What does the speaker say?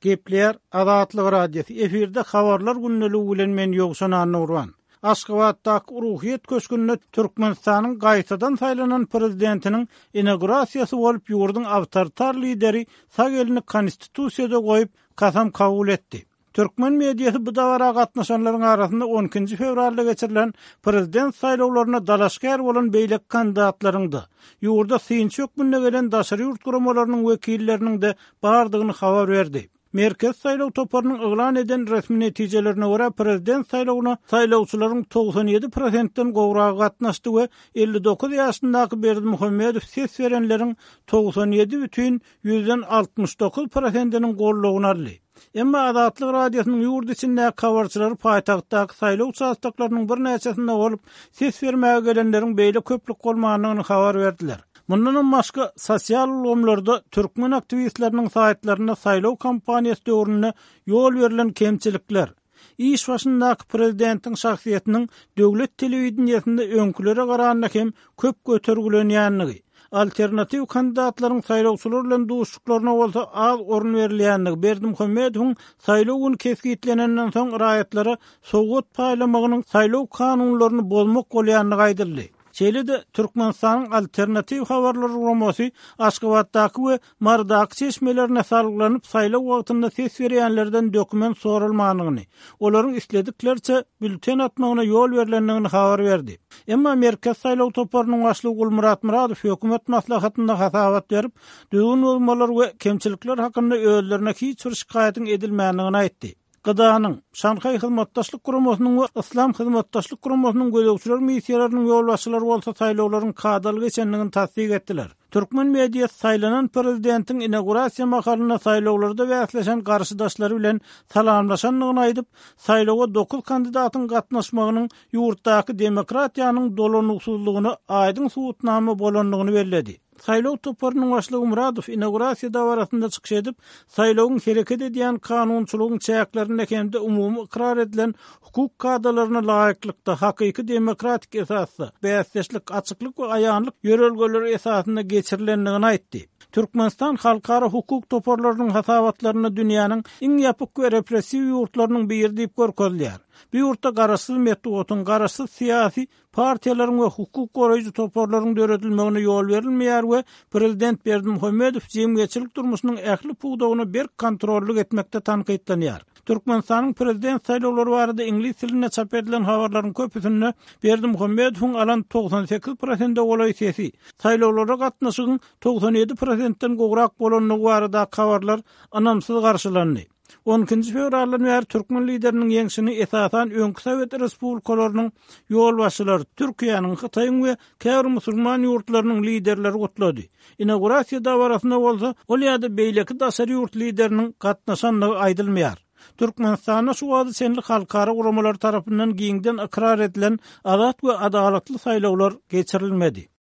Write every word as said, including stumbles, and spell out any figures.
Gepleýär Azatlyk Radiosy. Efirde habarlar gündeligi bilen men Ýowşan Annagurban. Aşgabatdaky Ruhyýet köşgünde Türkmenistanyň gaýtadan saýlanan prezidentiniň inaugurasiýasy bolup, ýurduň awtoritar lideri sag elini konstitusiýada goýup, kasam kabul etdi. Türkmen mediasy bu dabara gatnaşanlaryň arasynda on ikinji fewralda geçirilen prezident saýlawlaryna dalaşgär bolan beýleki kandidatlaryň-da, ýurda synçy hökmünde gelen daşary ýurt guramalarynyň wekilleriniň-de bardygyny habar berdi. Merkezi saýlaw toparynyň yglan eden resmi netijelerine görä prezident saýlawyna saýlawçylaryň togsan ýedi prosentden gowragy gatnaşdy we elli dokuz ýaşyndaky Berdimuhamedow ses berenleriň togsan ýedi bütin ýüzden altmyş dokuz prosentiniň goldawyny aldy. Emma Azatlyk Radiosynyň ýurt içindäki habarçylary paýtagtdaky saýlaw uçastoklarynyň birnäçesinde bolup, ses bermäge gelenleriň beýle köplük bolmandygyny habar berdiler. Mundanam başga sosial ulgamlarda türkmen aktiwistleriniň saýtlarynda saýlaw kampaniýasy döwründe ýol berlen kemçilikler, iş başyndaky prezidentiň şahsyýetiniň döwlet telewideniýesinde öňkülere garanda hem köp götergilenýänligi, alternatiw kandidatlaryň saýlawçylar bilen duşuşyklaryna bolsa az orun berilýänligi, Berdimuhamedowyň saýlaw güni kesgitlenenden soň raýatlara sowgat paýlamagynyň saýlaw kanunlaryny bozmak bolýandygy aýdyldy. Şeýle-de Türkmenistanyň alternatiw habarlar guramasy Aşgabatdaky we Marydaky çeşmelerine salgylanyp saýlaw wagtynda ses berýänlerden dokument soralmandygyny, olaryň islediklerçe bülten atmagyna ýol berlendigini habar berdi. Emma Merkez saýlaw toparynyň başlygy Gulmyrat Myradow hökümet maslahatynda hasabat berip, düzgün bozmalar we kemçilikler hakynda özlerine hiç bir şikaýatyň edilmändigini aýtdy. Gydanyň, Şanhaý Hyzmatdaşlyk Guramasynyň we Yslam Hyzmatdaşlyk Guramasynyň gözegçiler missiýalarynyň ýolbaşçylary bolsa saýlawlaryň kadaly geçendigini tassyk etdiler. Türkmen mediasy saýlanan prezidentiň inaugurasiýa mahalynda saýlawlarda bäsleşen garşydaşlary bilen salamlaşandygyny aýdyp, saýlawa dokuz kandidatyň gatnaşmagynyň ýurtdaky demokratiýanyň dolanyksyzlygyna aýdyň subutnama bolandygyny belledi. Saýlaw toparynyň başlygy Muradow inaugurasiýa dabarasynda çykyş edip, saýlawyň hereket edýän kanunçylygyň çäklerinde hem-de umumy ykrar edilen hukuk kadalaryna laýyklykda hakyky demokratik esasda, bäsdeşlik, açyklyk we aýanlyk ýörelgeleri esasynda geçirilendigini aýtdy. Türkmenistan halkara hukuk toparlarynyň hasabatlarynda dünýäniň iň ýapyk we repressiw ýurtlarynyň biri diýip görkezilýär. Bu ýurtda garaşsyz metbugatyň, garaşsyz syýasy partiýalaryň we hukuk goraýjy toparlaryň döredilmegine ýol berilmeýär we prezident Berdimuhamedow jemgyýetçilik durmuşynyň ähli pudagyna berk kontrollyk etmekde tankytlanýar. Türkmenistanyň prezident saýlawlary barada iňlis dilinde çap edilen habarlaryň köpüsinde Berdimuhamedowyň alan togsan sekiz prosente golaý sesi, saýlawlara gatnaşygyň togsan ýedi prosentden gowrak bolandygy barada habarlar ynamsyz garşylandy. On ikinji fewraldan bäri türkmen lideriniň ýeňşini esasan öňki Sowet Respublikalarynyň ýolbaşçylary, Türkiýäniň, Hytaýyň we käbir musulman ýurtlarynyň liderleri gutlady. Inaugurasiýa dabarasynda bolsa ol ýa-da beýleki daşary ýurt lideriniň gatnaşandygy aýdylmaýar. Türkmenistanda şu wagta çenli halkara guramalary tarapyndan giňden ykrar edilen azat we adalatly saýlawlar geçirilmedi.